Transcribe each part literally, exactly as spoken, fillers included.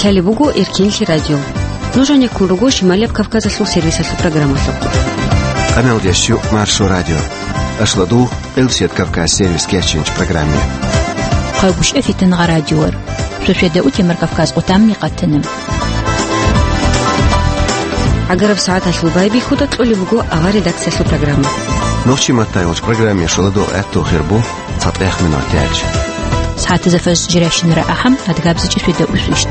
Гьале буго Эркенлъи радио. Нуж гьанеккун руго Шималияб Кавказалъул сервисалъул программалъухъ. Къаналдеш юкъ Маршо радио. Ашладу Къилсият Кавказ сервис кечинч программе. Хъайгушев Фитангъа радиор. Шошеда утемар Кавказ къутамни къатана. ГӀагараб сагӀаталъул байбихьуда кьолеб буго авар редакциялъул программа. Нохчи маттайолч программе шоладо гӀатту хирбу. ЦатӀех минутач. СагӀатазда фажр жирайщинара ахӀам, адгабзичӀи шведа усвищт.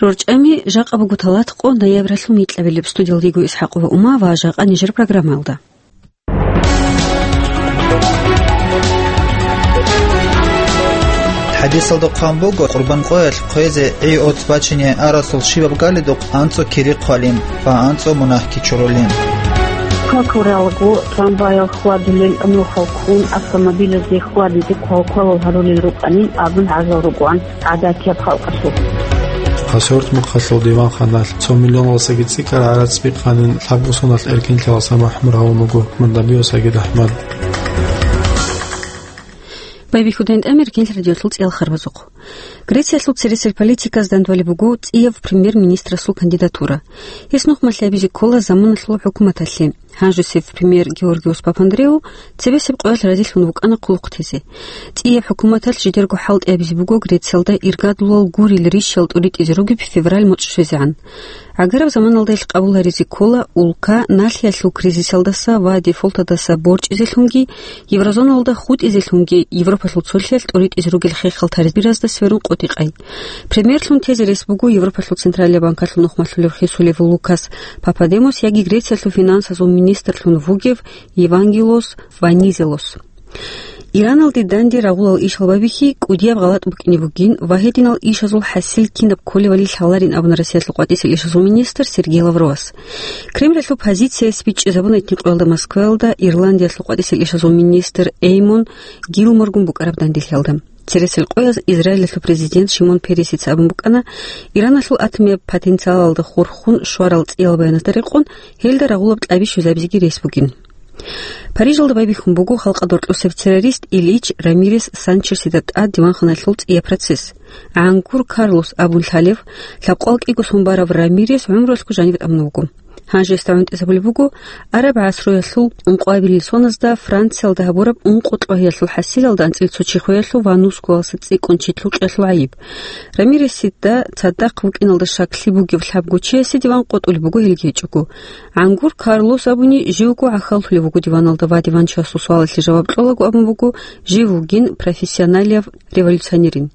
РорчӀами жакъа буго талатӀкъо ноябралъул микьабилеб. Студиялдего ИсхӀакъова Ума ва жакъа нижер программаялда. ХӀадисалда хъван буго, Къурбан къоялъ хъвезе гӀи-оц бачине арасул щибаб галидухъ анцӀо кири хъвалин ва анцӀо мунагьги чурулин. Какуралго трамваял хьвадулел нухал ккун, автомобилазде хьвадизе квалквалал гьарулел рукӀанин абун гӀажал рукӀван гӀадатияб халкъалъулъ. Хасавюрт мухъалъул диванханалъ цо миллионалдасаги цӀикӀкӀараб гӀарац бихъанин лъабго соналъ эркенлъи васаб махӀмур гьавун вуго Мурдабиусаги Дагьмад. Байбихьудайн тӀамир кенлъ радиолъул цӀиял харбазухъ. Грециялъул цересел политиказ дандвали буго цӀияв премьер-министрасул кандидатура. Гьес нухмалъи абизе ккола заманалъул хӀукуматалъе. Гьанжесев премьер Георгиус Папандреу цебесеб къоялъ разилъун вукӀана хъулухъ тезе. ЦӀияб хӀукуматалъ жидерго хӀалтӀи абизе буго Грециялда иргадлъулал гурил рищал тӀуритӀизе ругеб февраль муцӀ щвезегӀан. ГӀагараб заманалда илъ къабул гьаризе ккола улка налъиялъул кризисалдаса ва дефолтадаса борчӀизелъунги, еврозоналда хутӀизелъунги Европалъул цолъиялъ тӀуритӀизе ругел хехал таризбиразда сверун къотӀи-къай. Премьерлъун тезе рес буго Европалъул Централияб банкалъул нухмалъулев хисулев Лукас Пападемос яги Грециялъул финансазул министрлъун вугев Евангелос Ванизелос. Ираналде данде рагъулал ишал байбихьи кӀудияб гъалатӀ букӀине бугин ва гьединал ишазул хӀасил кинаб кколевали лъаларин абуна Россиялъул къватӀисел ишазул министр Сергей Лавровас. Кремлалъул позицияс бичӀчӀизабуна итни къоялда Москваялда Ирландиялъул къватӀисел ишазул министр Эймон Гилморгун букӀараб данделъиялда. Цересел къояз Израилалъул президент Шимон Пересица абун букӀана, Ираналъул атомияб потенциалалда хурхун щварал цӀиял баянатда рекъон, гьелда рагъулаб кьаби щвезабизеги рес бугин. Парижалда байбихьун буго халкъалда гьоркьосеб террорист Ильич Рамирес Санчесида тӀад диванханалъул цӀияб процесс. ГӀангур Карлос абун лъалев, лъабкъоялда кӀиго сон барав Рамирес гӀумруялъго жаниве тӀамун вуго. Гьанже гьесда гӀунтӀизабулеб буго араб гӀасруялъул ункъоабилел соназда Франциялда гьабураб ункъо кьогьиялъул хӀасилалда анцӀила цо чи хвеялъул ва нусгоялдаса цӀикӀкӀун чи лъукъиялъул гӀайиб. Рамиресида цадахъ вукӀиналда щаклъи бугев лъабго чиясе диван къотӀулеб буго гьелги гьечӀого. ГӀангур Карлос абуни живго гӀахьаллъулев вуго диваналда ва диванчиясул суалалъе жаваб кьолаго абун буго, жив вугин профессионалияб революционерин.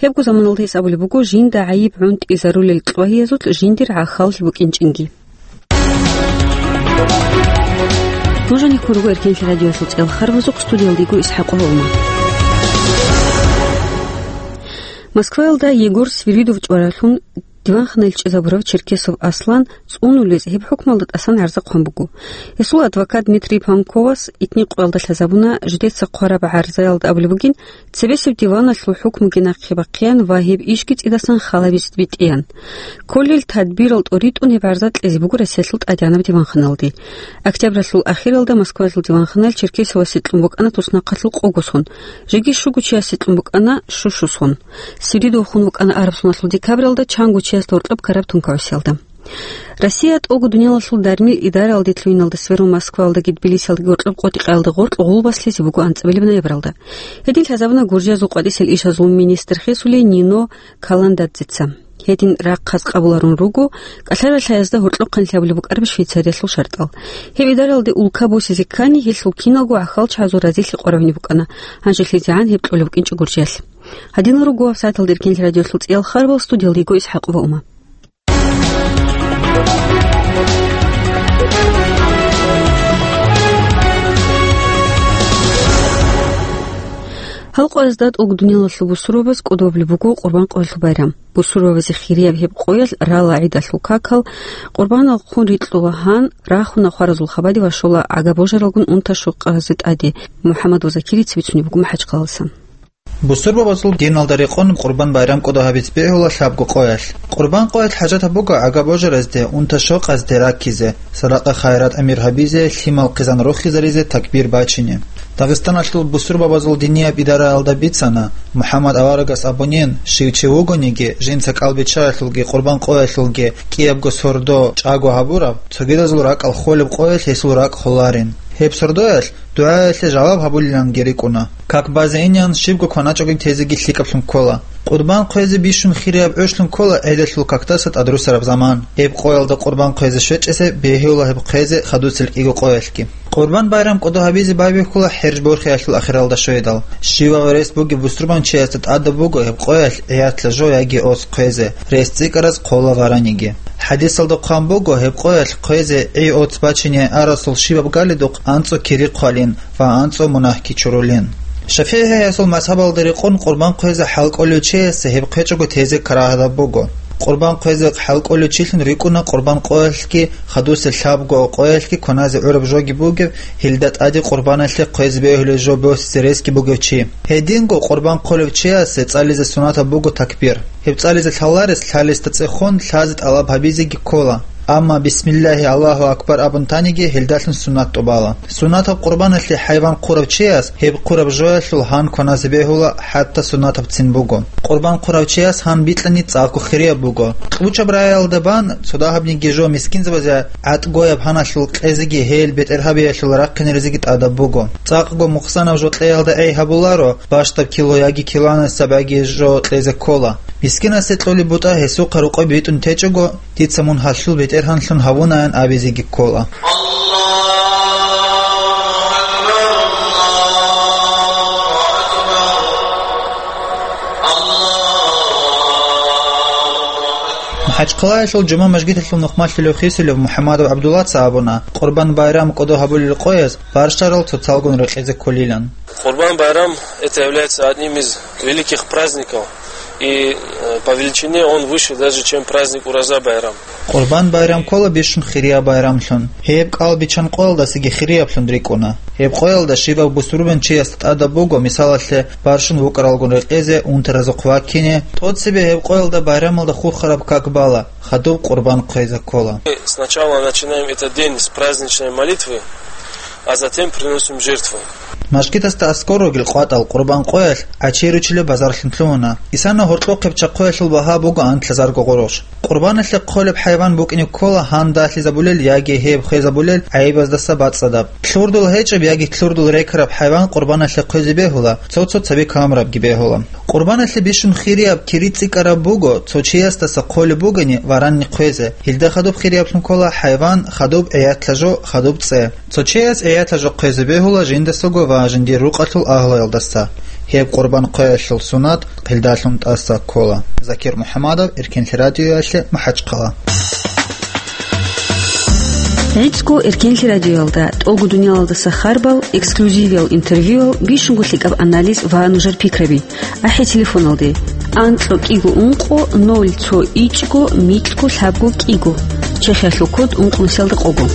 Гьебго заманалда гьес абулеб буго жинда гӀайиб гӀунтӀизарулел кьогьиязулъ жиндир гӀахьаллъи букӀинчӀинги. Нуж гьанеккун руго Эркенлъи радиоялъул цӀиял харбазухъ, студиялда йиго ИсхӀакъова Ума. Москваялда Егор Свиридов чӀваралъун диванханаялъ чӀезабурав Черкесов Аслан цӀунулез гьеб хӀукмалда тӀасан гӀарза хъван буго. Гьесул адвокат Дмитрий Панковас итни къоялда лъазабуна жидеца хъвараб гӀарзаялда абулеб бугин, цебесеб диваналъул хӀукмуги нахъе бахъеян ва гьеб ишги цӀидасан халабизе битӀеян. Кколел тадбирал тӀоритӀун гьеб гӀарза кьезе буго Россиялъул тӀадегӀанаб диванханалде. Октябралъул ахиралда Москваялъул диванханалъ Черкесовасе кьун букӀана туснахъалъул къого сон, жеги щуго чиясе кьун букӀана щущу сон. Свиридов хун вукӀана араб соналъул декабралда чанго чиясда гьоркьоб ккараб тункаусиялда. Россия тӀолго дуниялалъул дармил идараялде лъугьиналда сверун Москваялдаги Тбилисиялдаги гьоркьоб къотӀи-къаялда гъоркь гъулбаслъизе буго анцӀабилеб ноябралда. Гьедин лъазабуна Гуржиязул къватӀисел ишазул министр хисулей Нино Каландадзеца. Гьедин рахъаз къабуларун руго кӀалъаралъаязда гьоркьохъанлъи гьабулеб букӀараб Швейцариялъул шартӀал. Гьеб идараялде улка босизе ккани, гьелъул киналго гӀахьалчагӀазул разилъи къваригӀуне букӀана, гьанжелъизегӀан гьеб кьолеб букӀинчӀо Гуржиялъ. Гьадинал руго гьабсагӀаталда Эркенлъи радиоялъул цӀиял харбал, студиялда йиго ИсхӀакъова Ума. Гьал къоязда тӀолго дуниялалъул бусурбабаз кӀодобли буго Къурбан къоялъул байрам. Бусурбабазе хирияб гьеб къоялъ рала гӀидалъул какал, къурбанал хъун рикьула гьан, рахуна хваразул хабаде ва щола гӀага-божаралгун унта-щокъазе тӀаде. МухӀаммад ва Закирица бицунеб буго МахӀачхъалалдасан. Бусурбабазул диналда рекъон Къурбан байрам кӀодо гьабизе бегьула лъабго къоялъ. Къурбан къоялъ хӀажатаб буго гӀага божаразде, унта-щокъазде раккизе, садакъа-хайрат гӀемер гьабизе, лъимал хъизан рохизаризе, такбир бачине. Дагъистаналъул бусурбабазул динияб идараялда бицана, МухӀаммад аварагас абунин, щив чи вугониги, жинца кӀалбиччаялъулги къурбан къоялъулги кӀиябго сордо чӀаго гьабураб, цогидазул ракӀал холеб къоялъ гьесул ракӀ холарин. Гьеб сордоялъ дугӀаялъе жаваб гьабулиланги рикӀкӀуна. Как базе инеян щибго кваначӀогин тезеги лъикӀаблъун ккола. Къурбан хъвезе бищун хирияб гӀолъун ккола гӀелалъул какдаса тӀадрусараб заман. Гьеб къоялда къурбан хъвезе щвечӀесе бегьула гьеб хъвезе хадусел кӀиго къоялъги. Къурбан байрам кӀодо гьабизе байбихьула ХӀеж борхиялъул ахиралда щведал. Щивав рес бугеб бусурбанчиясда тӀадаб буго гьеб къоялъ гӀиятла жо яги оц хъвезе, рес цӀикӀкӀараз хъола вараниги. ХӀадисалда хъван буго гьеб къоялъ хъвезе гӀи-оц бачине арасул щибаб галидухъ анцӀо кири хъвалин ва анцӀо мунагьги чурулин. ШафигӀиясул мазгьабалда рекъон къурбан хъвезе хӀалкӀолев чиясе гьеб хъвечӀого тезе карагьатаб буго. Къурбан хъвезе хӀалкӀолев чилъун рикӀкӀуна къурбан къоялъги хадусел лъабго къоялъги кваназе гӀураб жоги бугев, гьелда тӀаде къурбаналъе хъвезе бегьулев жо босизе ресги бугев чи. Гьединго къурбан хъолев чиясе цӀализе суннатаб буго такбир. Гьеб цӀализе лъаларес лъалесда цӀехун лъазе тӀалаб гьабизеги ккола. Амма «Бисмиллагьи, Аллагьу акбар» абун таниги, гьелдалъун суннат тӀубала. Суннатаб къурбаналъе хӀайван хъурав чияс гьеб хъураб жоялъул гьан кваназе бегьула, хӀатта суннатабцин буго. Къурбан хъурав чияс гьан бикьани цӀакъго хирияб буго. Кьучаб рагӀиялда бан цо дагьабниги жо мискинзабазе гӀатӀгояб гьаналъул кьезеги гьел бетӀергьабиялъул рахъинаризеги тӀадаб буго. ЦӀакъго мухъсанаб жо кьеялда гӀей гьабуларо, бащдаб кило яги килоанасеб яги жо кьезе ккола. Мискинасе кьолеб бутӀа гьесухъа рукъой битӀун течӀого, дица мун гьалъул бетӀергьанлъун гьавунаян абизеги ккола. МахӀачхъалаялъул жума мажгиталъул нухмалъулев хисулев МухӀаммадов ГӀабдуллаца абуна, Къурбан байрам кӀодо гьабулел къояз барщарал цоцалгун рекьизе кколилан. Къурбан байрам, это является одним из великих праздников, и, э, по величине он выше даже, чем праздник Ураза байрам. Къурбан байрам ккола бищун хирияб байрамлъун. Гьеб кӀал биччан къоялдасаги хирияблъун рикӀкӀуна. Гьеб къоялда щибаб бусурбанчиясда тӀадаб буго, мисалалъе, барщун вукӀаралгун рекьезе, унтаразухъ ваккине. ТӀоцебе гьеб къоялда байрамалда хурхараб как бала, хадуб къурбан хъвезе ккола. Сначала начинаем этот день с праздничной молитвы, а затем приносим жертву. Мажгитасда аскӀор ругел къватӀал къурбан къоялъ гӀачи ручилеб базарлъун лъугьуна. Исана гьоркьохъеб чахъоялъул багьа буго анлъазарго гъурущ. Къурбаналъе хъолеб хӀайван букӀине ккола гьан далъизабулел яги гьеб хвезабулел гӀайибаздаса бацӀцӀадаб. Лъурдул гьечӀеб яги лъурдул рекараб хӀайван къурбаналъе хъвезе бегьула, цо-цо цаби камурабги бегьула. Къурбаналъе бищун хирияб кири цӀикӀкӀараб буго, цо чиясдаса хъолеб бугони варанни хъвезе. Гьелда хадуб хирияблъун ккола хӀайван, хадуб гӀиятла жо, хадуб цӀе. Цо чияс гӀиятла жо хъвезе бегьула жиндасаго ва жиндир рукъалъул агьлуялдаса. Гьеб къурбан хъвеялъул суннат гьелдалъун тӀаса ккола. Закир МухӀаммадов, Эркенлъи радиоялъе, МахӀачхъала. ГӀицӀго Эркенлъи радиоялда тӀолго дуниялалдаса харбал, эксклюзивиял интервьюял, бищунго лъикӀаб анализ ва нужер пикраби. АхӀи телефоналде: анцӀго кӀиго ункъо ноль цо ичӀго микьго лъабго кӀиго, Чехиялъул код ункънусиялда къого.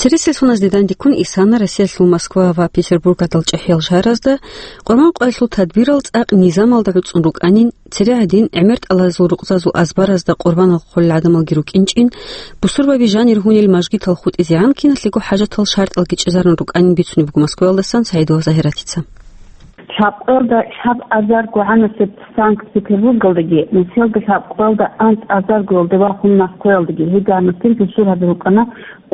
Цересел суназде дандеккун исана Россиялъул Москва ва Петербург гьадал чӀехӀиял шагьаразда Къурбан къоялъул тадбирал цӀакъ низамалда гӀуцӀун рукӀанин, цере гьадин гӀемертӀалазул рукъзазул азбаразда къурбанал хъолел гӀадамалги рукӀинчӀин, бусурбаби жанир гьунел мажгитал хутӀизегӀан киналъего хӀажатал шартӀалги чӀезарун рукӀанин бицунеб буго Москваялдасан Саидова Загьиратица. Лъабкъоялда лъаб азарго гӀанасеб Санкт-Петербургалдаги, нусиялда лъабкъоялда анцӀ азаргоялда ва хун Москваялдаги гьединаб бусурбаби рукӀана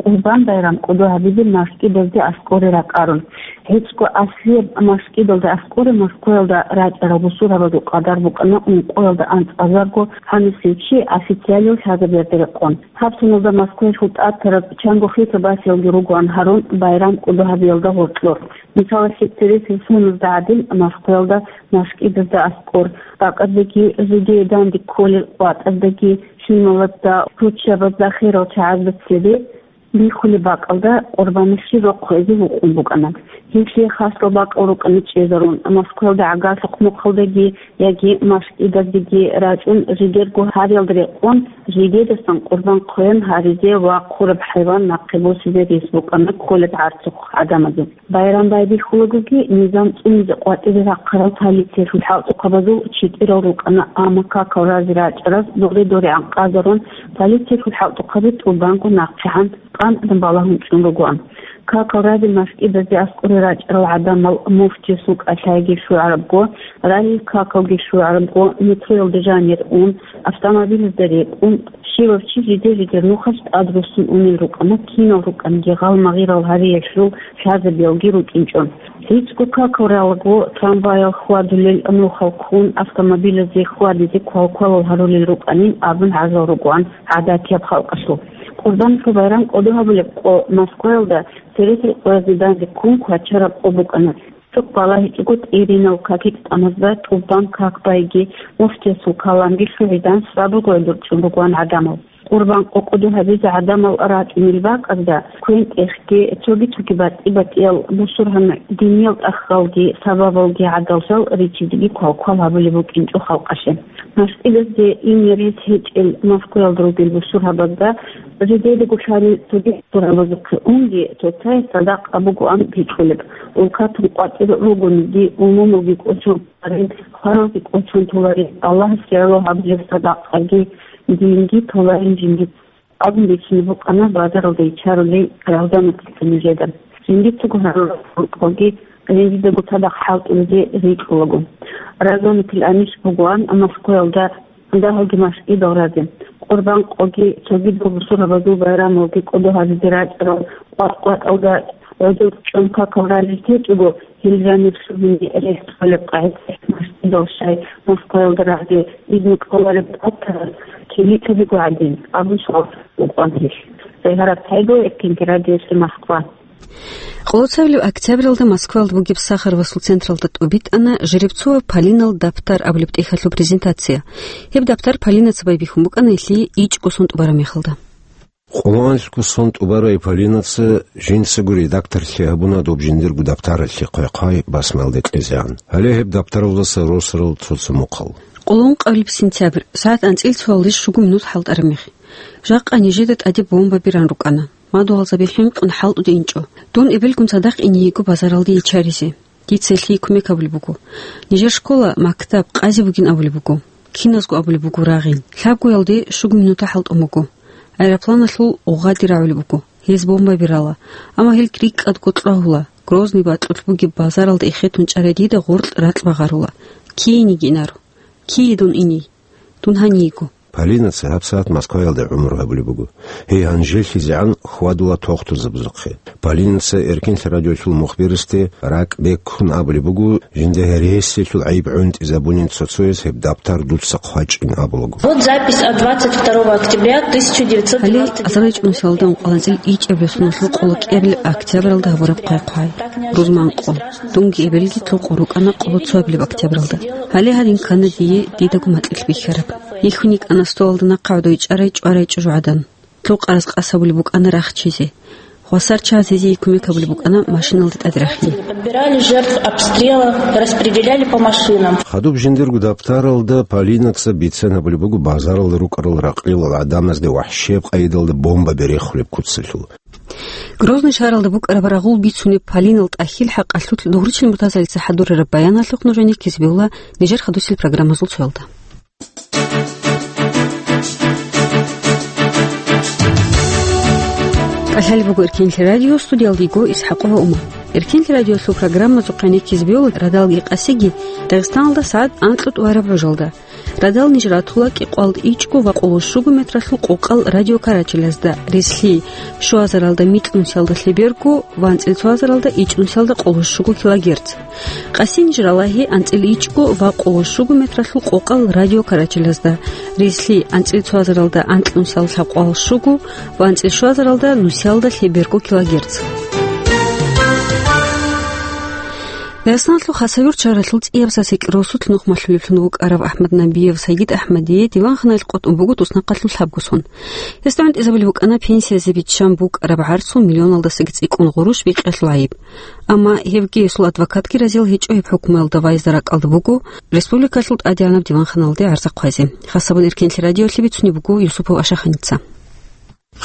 Къурбан байрам кӀодо гьабизе машкӀидазде аскӀоре ракӀарун. ГьечӀго аслияб машкӀидалда аскӀоре Москваялда рачӀарал бусурбабазул къадар букӀана ункъоялда анцӀ азарго гӀанасев чи официалиял лъазабиялда рекъон. Гьаб соналда Москваялъул тӀад тараб чанго хисаб басиялги ругоан гьарун байрам кӀодо гьабиялда гъоркьор. Мисалалъе, цересел суназда гӀадин, Москваялда машкӀидазда аскӀор, бакӀаздаги жеги данде кколел къватӀаздаги, лъималазда, руччабазда, херал чагӀазда цебе, Бихьулеб бакӀалда Къурбанихъи рохъ гьезие вукъун букӀана. Гьелъие хасал бакӀал рукӀана чӀезарун, Москваялда гӀагарлъухъ мухъалдаги яги машкӀидаздаги рачӀун, жидерго гьариялда рекъон, жидедасан къурбан хъвен гьаризе ва хъураб хӀайван нахъе босизе рес букӀана кколеб гӀарцухъ гӀадамазе. Байрам байбихьулагоги, низам цӀунизе къватӀире рахъарал полициялъул хӀалтӀухъабазул читӀирал рукӀана, амма какал разе рачӀараз доре-дорегӀан къазарун, полициялъул хӀалтӀухъаби тӀубанго нахъегӀан къантӀун балагьун чӀун ругоан. Какал разе машкӀидазде аскӀоре рачӀарал гӀадамал муфтиясул кӀалъайги щварабго, ралил какалги щварабго, метроялда жанир ун, автомобилазда рекӀун, щивав чи жидер-жидер нухалъ тӀад руссун унел рукӀана, кинал рукӀанги гъалмагъирал гьариялъул лъазабиялги рукӀинчӀо. ГьечӀго какал ралаго, трамваял хьвадулел нухал ккун, автомобилазе хьвадизе квал-квалал гьарулел рукӀанин абун гӀажал ругоан гӀадатияб халкъалъул. Къурбанихъа байрам кӀодо гьабулеб къо Москваялда цересел къоязда данде ккун квачараб къо букӀана. Цо балагьичӀого тӀиринав какил тӀамазда тӀубан как байги, муфтиясул каламги лъугӀидан сабур гъведурчӀун ругоан гӀадамал. Къурбан къо кӀодо гьабизе гӀадамал рачӀунел бакӀазда квен-тӀехги, цоги-цоги батӀи-батӀиял бусургьан диниял тӀахьалги сабабалги гӀадаллъал ричизеги квал-квал гьабулеб букӀинчӀо халкъалъе. МашкӀидазде ине рес гьечӀел Москваялда ругел бусургьабазда жидедаго лъали цоги бусургьабазухъе унги, цоцае садакъа бугоан бикьулеб. Улкатун къватӀир ругониги, умумулги кӀочон толарин, хваралги кӀочон толарин, Аллагьас гӀоло гьабулеб садакъаги, динги толарин жинди абун бицунеб букӀана базаралда ичарулей Рамзан Мутилъа нижеда. Жиндицаго гьарураб рукъалги, жиндидаго цадахъ хӀалтӀулезе рикӀкӀулаго. Рамзан Мутилъа анищ бугоан Москваялда дагьалги машкӀидал разе. Къурбан къоги, цогидал бусургьабазул байрамалги кӀодо гьабизе рачӀарал къват-къватӀалда гӀодор чӀун какал ралел течӀого, гьел жанир лъугьине рес кколеб къагӀидаялъ машкӀидал щай Москваялда разе изну кӀолареб батарал килитабиго гӀадин абун суал букӀана гьелъ. Зайгьараб ТӀагьиров, Эркинги радиоялъе Москва. Къолоцавилев октябралда Москваялда бугеб Сахаровасул централда тӀубитӀана Жеребцова Полинал дабтар абулеб тӀехьалъул презентация. Гьеб дабтар Полинаца байбихьун букӀана гьелъие ичӀго сон тӀубараб мехалда. Къоло анлъго сон тӀубарай Полинаца жинцаго редакторлъи гьабуна доб жиндирго дабтаралъе хъвай-хъвай басмаялде кьезегӀан. Гьале гьеб дабтаралдаса росарал цо-цо мухъал. Къоло ункъабилеб сентябрь, сагӀат анцӀила цоялде щуго минут хӀалтӀараб мех. Жакъа нижеда тӀаде бомба беран рукӀана. Мадугьалзаби хӀинкъун хӀалтӀуде инчӀо. Дун эбелгун цадахъ ине йиго базаралде ичаризе. Дица гьелъие кумек гьабулеб буго. Нижер школа, мактаб, къази бугин абулеб буго. Киназго абулеб буго рагъин. Лъабгоялде щуго минута хӀалтӀун буго. Аэропланалъул гъугъаде рагӀулеб буго. Гьез бомба берала. Амма гьел рикӀкӀадго кьвагьула. Грозный бакьулъ бугеб базаралда эхетун чӀарай дида гъоркь ракь багъарула. Киениги инаро. Кие дун иний? Дун гьаниего. Полинаца гьабсагӀат Москваялда гӀумру гьабулеб буго. Гьей гьанжелъизегӀан хьвадула тохтурзабазухъе. Полинаца Эркинлъи радиолъул мухбирасде ракӀ беккун абулеб буго, жинда гьересиялъул гӀайиб гӀунтӀизабунин цо-цояс гьеб дабтар дуца хъвачӀин абулаго. Вот запись от двадцать второго октября тысяча девятьсот двадцать девятого года. Гьале азарилчӀун салда ункъаланцӀил ичӀабилеб соналъул къоло кӀиабилеб октябралда гьабураб хъвай-хъвай. Рузман къо. Дунги эбелги лъукъо рукӀана къоло цоабилеб октябралда. Гьале гьадин ккана дие дидаго макьилъ бихьараб. Бихьун йикӀана столалда нахъа гӀодов ичӀарай чӀварай чӀужугӀадан. Лъукъараз къасабулеб букӀана рахчизе. Хвасар чагӀаз гьезие кумек гьабулеб букӀана машиналда тӀаде рахине. Подбирали жертв обстрела, распределяли по машинам. Хадуб жиндирго дабтаралда Полинаца бицен гьабулеб буго базаралда рукӀарал ракълилал гӀадамазде вахӀшияб къайдалда бомба берехулеб куцалъул. Грозный шагьаралда букӀараб рагъул бицунеб Полинал тӀахьил хӀакъалъулъ Дугъричил Муртазалица хӀадурараб баяналъухъ нужее ккезабиула нижер хадусел программазул цоялда. КӀалъалеб буго Эркинлъи радио, студиялда йиго ИсхӀакъова Ума. Эркинлъи радиолъул программазухъе ккезабиула радалги къасиги Дагъистаналда сагӀат анкьго тӀубараб гӀужалда. Радал ниж ратула кӀикъоялда ичӀго ва къоло щуго метралъул къокъал радиокарачелазда, рислъи щуазаралда микьнусиялда лъеберго ва анцӀила цоазаралда ичӀнусиялда къоло щуго килогерц. Къаси ниж ралагьи анцӀила ичӀго ва къоло щуго метралъул къокъал радиокарачелазда, рислъи анцӀила цоазаралда анкьнусиялда лъабкъоялда щуго ва анцӀила щуазаралда нусиялда лъеберго килогерц. Дагъистаналъул Хасавюрт шагьаралъул цӀияб сасикь росулъ нухмалъулеблъун вукӀарав АхӀмад Набиев Сагид АхӀмадие диванханалъ къотӀун буго туснахъалъул лъабго сон. Гьесда гӀунтӀизабулеб букӀана пенсиязе биччан букӀараб гӀарцул миллионалдасаги цӀикӀкӀун гъурущ бикьалъул гӀайиб. Амма гьевги гьесул адвокатги разиял гьечӀо гьеб хӀукмуялда вайизда ракӀалда буго республикалъул тӀадегӀанаб диванханалде гӀарза хъвазе. Хасабун Эркенлъи радиоялъе бицунеб буго Юсупов Ашаханица.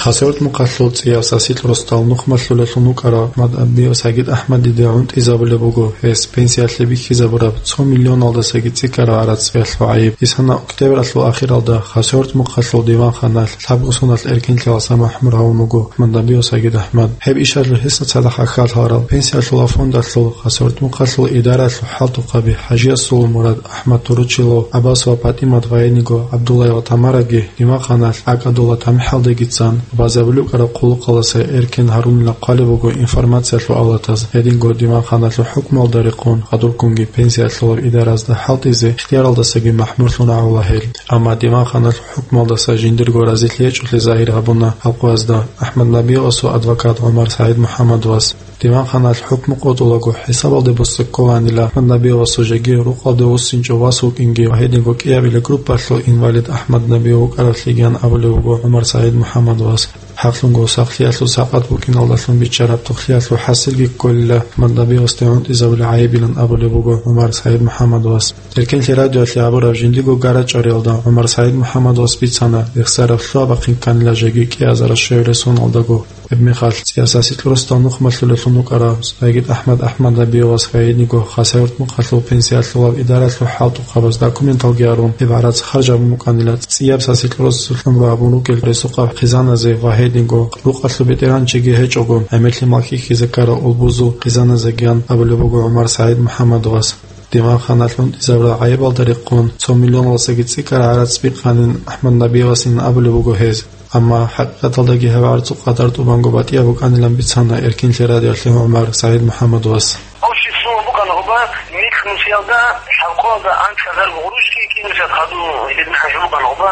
Хасавюрт мухъалъул цӀияб сасикь росдал нухмалъулеблъун вукӀарав АхӀмад Набиев Сагид АхӀмадиде гӀунтӀизабулеб буго гьес пенсиялъе бихьизабураб цо миллионалдасаги цӀикӀкӀараб гӀарац бикьалъул гӀайиб. Исана октябралъул ахиралда Хасавюрт мухъалъул диванханалъ лъабго соналъ эркенлъиялдаса махӀмур гьавун вуго АхӀмад Набиев Сагид АхӀмад. Гьеб ишалъул гьесда цадахъ хьалхаларал пенсиялъул фондалъул Хасавюрт мухъалъул идараялъул хӀалтӀухъаби ХӀажиясул Мурад, АхӀмад Туручилов, ГӀаббасова ПатӀимат ва гьединго ГӀабдуллаева Тамараги диванханалъ ГӀакӀадула тамихӀалдегицан базабулеб букӀараб хъулухъалдаса эркен гьарунила хъвалеб буго информациялъул авлатаз. Гьединго диванханалъул хӀукмуялда рекъон хадубккунги пенсиялъулаб идаразда хӀалтӀизе ихтияралдасаги махӀмурлъун гьавула гьел. Амма диванханалъул хӀукмуялдаса жиндирго разилъи гьечӀолъи загьир гьабуна халкъазда. АхӀмад Набиевасул адвокат ГӀумар СагӀид МухӀаммадовас диванханалъ хӀукму къотӀулаго хӀисабалде буссун кколанила АхӀмад Набиевасул жеги рукъалде вуссинчӀев вас вукӀинги ва гьединго кӀиабилеб группалъул инвалид АхӀмад Набиев вукӀаравлъигиян абулеб буго ГӀумар СагӀид МухӀаммадовас. ХӀакълъунго сахлъиялъул сакъат букӀиналдалъун биччараб тухлъиялъул хӀасилги кколила АхӀмад Набиевасде гӀунтӀизабулеб гӀайибилан абулеб буго ГӀумар СагӀид МухӀаммадовас. Эркенлъи радиоялъе гьабураб жиндирго гарачӀариялда ГӀумар СагӀид МухӀаммадовас бицана, рехсараб лъугьа-бахъин кканила жеги кӀиазараш щвелесун алдаго. Гьеб мехалъ цӀияб сасикь росдал нухмалъулеблъун вукӀарав Сагид АхӀмад АхӀмад Набиевас ва гьединго Хасавюрт мухъалъул пенсиялъулаб идараялъул хӀалтӀухъабаз документалги гьарун, гьеб гӀарац харжабун букӀанила цӀияб сасикь росулъ гӀумру гьабун ругел ресухъаб хъизаназе ва гьединго рукъалъул бетӀергьанчиги гьечӀого гӀемерлъи малъихьизе ккарал улбузул хъизаназегиян абулеб буго ГӀумар СагӀид МухӀаммадовас. Диванханалъ гӀунтӀизабураб гӀайибалда рекъон цо миллионалдасаги цӀикӀкӀараб гӀарац бикъанин АхӀмад Набиевасин абулеб буго гьез. Амма хӀакъикъаталдаги гьеб гӀарцул къадар тӀубанго батӀияб букӀанилан бицана Эркенлъи радиоялъе ГӀумар СагӀид МухӀаммадовас. Общий сумма букӀана гьоба, микьнусиялда, лъабкъоялда анцӀазарго гъурущги кӀинусиялда хадуб гьедин хӀажу букӀана гьоба,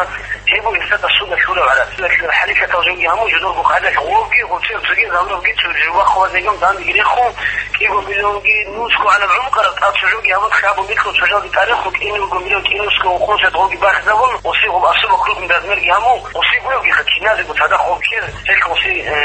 гьеб буго гьесда судалъ гьураб гӀарац. ХӀалихьатал жоги гьамун жидерго къагӀидаялъ гъурабги, гъурцел цоги, замрабги, цо жуба хъвазе гьеб данде рехун, кӀиго миллионги нусго гӀанаб гӀумру къараб тӀад цо жоги гьабун, хабу микьнус цо жоги тарихлъун кӀиниго миллион кӀинусго хъунсет гъоги бахизабун, оси гъоб особо крупный размерги гьамун, оси гуявги хъат киназего цадахъ гъоб ккер, гьелъ оси, э,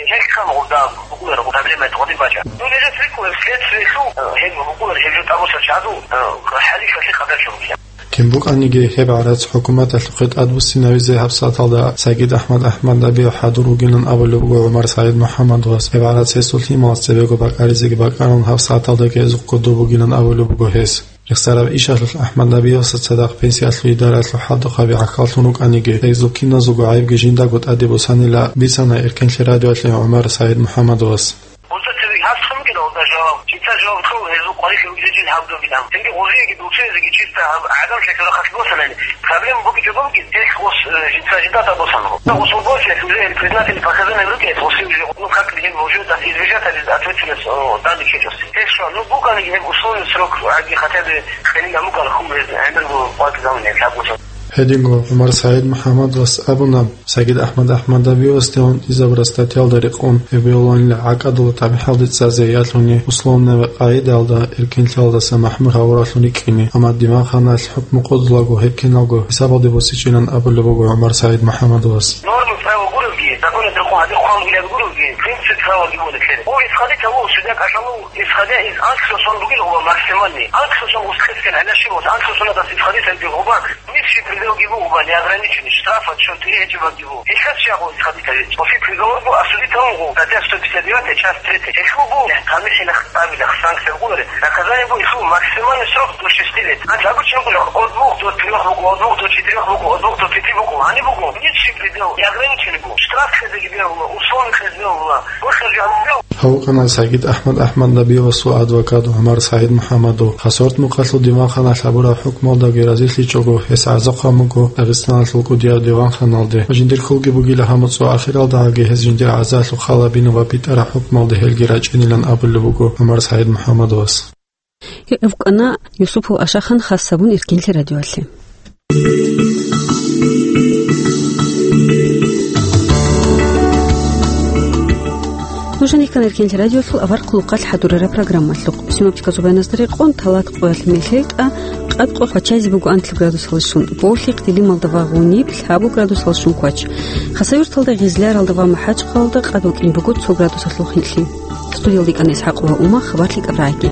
гьелъ ккан гъоб дагь букӀулареб проблема гъодин бачӀа. Ну, нижер рикӀкӀуна следствиялъул, э, гьеб букӀулареб гьеб жо тӀабуса чаду, э, хӀалихьалъе къадар чорухъе. Кин букӀаниги гьеб гӀарац хӀукуматалъухъе тӀадбуссинавизе гьабсагӀаталда Сагид АхӀмад АхӀмад Набиев хӀадур вугилан абулеб буго ГӀумар СагӀид МухӀаммадовас. Гьеб гӀарац гьесул лъималаз цебего бакӀаризеги бакӀарун гьабсагӀаталдаги гьезухъ кодоб бугилан абулеб буго гьес. Рехсараб ишалъулъ АхӀмад Набиевасда цадахъ пенсиялъул идараялъул хӀалтӀухъаби гӀахьаллъун рукӀаниги, гьезул киназулго гӀайибги жиндаго тӀаде босанила бицана Эркенлъи радиоялъе ГӀумар СагӀид МухӀаммадовас. Гъозда цевеги гьаб цо бугилан гъозда жаваб. Жинца жаваб ккола гьезул къварилъи ругезул жил гьаб бугилан. Цинги гъозиеги дуцеязеги чисто гьаб гӀадамлъи рахъалъ босанани, проблема бугичӀого бугин, гьелъ гъос, э, жинца жидата босана. Гъос гъосул уже признательный показания рукӀине, гъоси уже, ну, как бы, гьеб уже дас избежать гьабиз ответственность, о, данде ккечӀоси. Гьелъ щван, ну, букӀаниги гьеб условный срок, гьаги хотя бы хениган букӀана хьул гьез гӀемер гъо къватӀизабуни гьеб лъабго сон. Гьединго ГӀумар СагӀид МухӀаммадовас абуна, Сагид АхӀмад АхӀмад Набиевасде гӀунтӀизабураб статьялда рекъон гьеб бегьулаанила гӀакӀадула тамихӀалде цӀазе ялъуни условный къагӀидаялда эркенлъиялдаса махӀмур гьавуралъун рикӀкӀине, амма диванханалъ хӀукму къотӀулаго гьеб киналго хӀисабалде босичӀилан абулеб буго ГӀумар СагӀид МухӀаммадовас. Нормы права гуревги, законе рекъон гьадин хъван вилаби гуревги, принцип правоги гуревги. О, исходить гьаву, судья кӀалъалев, исходя из анкьго сон бугин гъоба максимальный. Анкьго сон устхъескен гьанаши вот, анкьго сонадас исходить гьабги гъоба. Низший пределги буго, неограниченный, штраф от сто тысяч гьечӀеб буго. Гьелъас щай гъо исходить гьабе? Оси приговор буго, осудить гьавун гъо, статья сто пятьдесят девятая, часть третья. Гьелъул буго, тамихӀилах, тӀабилах, санкция буго, наказание буго, гьелъул максимальный срок до шести лет. Анкь обычно буго, от двух до трёх буго, от двух до четырёх буго, от двух до пяти буго. Гьаниб буго, низший предел, неограниченный буго. Штраф хезеги бегьула, условный хез бегьула, гьоркьа жо гьабизе бегьула. Гьав вукӀана Сагид АхӀмад АхӀмад Набиевасул адвокат ГӀумар СагӀид МухӀаммадов. Хасавюрт мухъалъул диванханалъ гьабураб хӀукмуялдаги разилъичӀого гьес гӀазаб хъван буго Дагъистаналъул кӀудияб диванханалде. Жиндир хьулги бугила гьаб муцӀ ва ахиралдагӀаги гьез жиндир гӀазалъухъ халабина ва битӀараб хӀукмуялде гьелги рачӀинилан абулеб буго ГӀумар СагӀид МухӀаммадовас. Гьев вукӀана Юсупов Ашахан, хас гьабун Эркенлъи радиоялъе. Нуж гьанир ккана Эркенлъи радиолъул авар хъулухъалъ хӀадурараб программалъухъ. Симапчи казубаяздари къон талат къоялъ мехьелтӀа, къад къо хвачазе буго анлъаб градусалда щун, болъихъ Дилималда ва гъуниб лъабу градусалда щун квач. Хасавюрталда, Гъизляралда ва МахӀачхъалалда къад вукӀин буго цо градусалъул хинлъи. Студиялда йикӀана ИсхӀакъ ва Ума, хабар лъикӀаб рагӀаги.